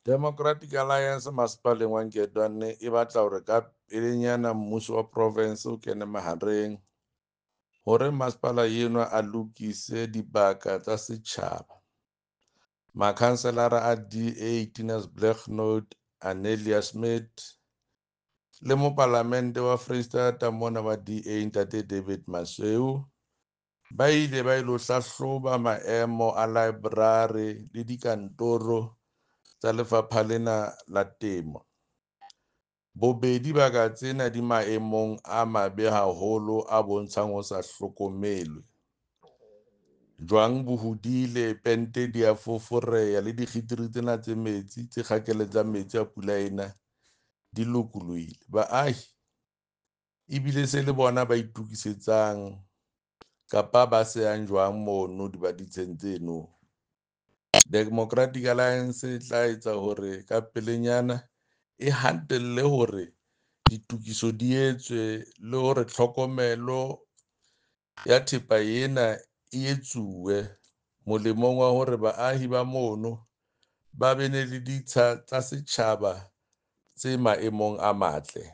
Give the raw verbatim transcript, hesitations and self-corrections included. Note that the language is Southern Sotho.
Democratic Alliance masepaleng wa Nketwane e batla hore ka pelenyana mmuso wa province o kene mahareng hore masepala enwa a lokise dibaka tsa setjhaba. Makhanselara a D A Tinus Blignaut, Anelia Smit le mopalamente wa Freistata mona wa D A Ntate David Masoeu ba ile ba ilo hlahloba maemo a library le dikantoro tsa lefapha lena la temo. Bobedi baka tsena di maemong a mabe haholo a bontshang ho sa hlokomelwe. Jwang bo hodile, pente di a foforeha le dikgitiri tsena tse metsi tse kgakeletsang metsi a pula ena di lokolohile. Baahi ebile se le bona ba itokisetsang kapa ba sehang jwang mono di ba ditsheng tseno. Democratic Alliance e tla etsa hore ka pelenyana e hatelle hore ditokiso di etswe le hore tlhokomelo ya thepa ena e etsuwe molemong wa hore baahi ba mono ba be ne le ditsha tsa setjhaba tse maemong a matle.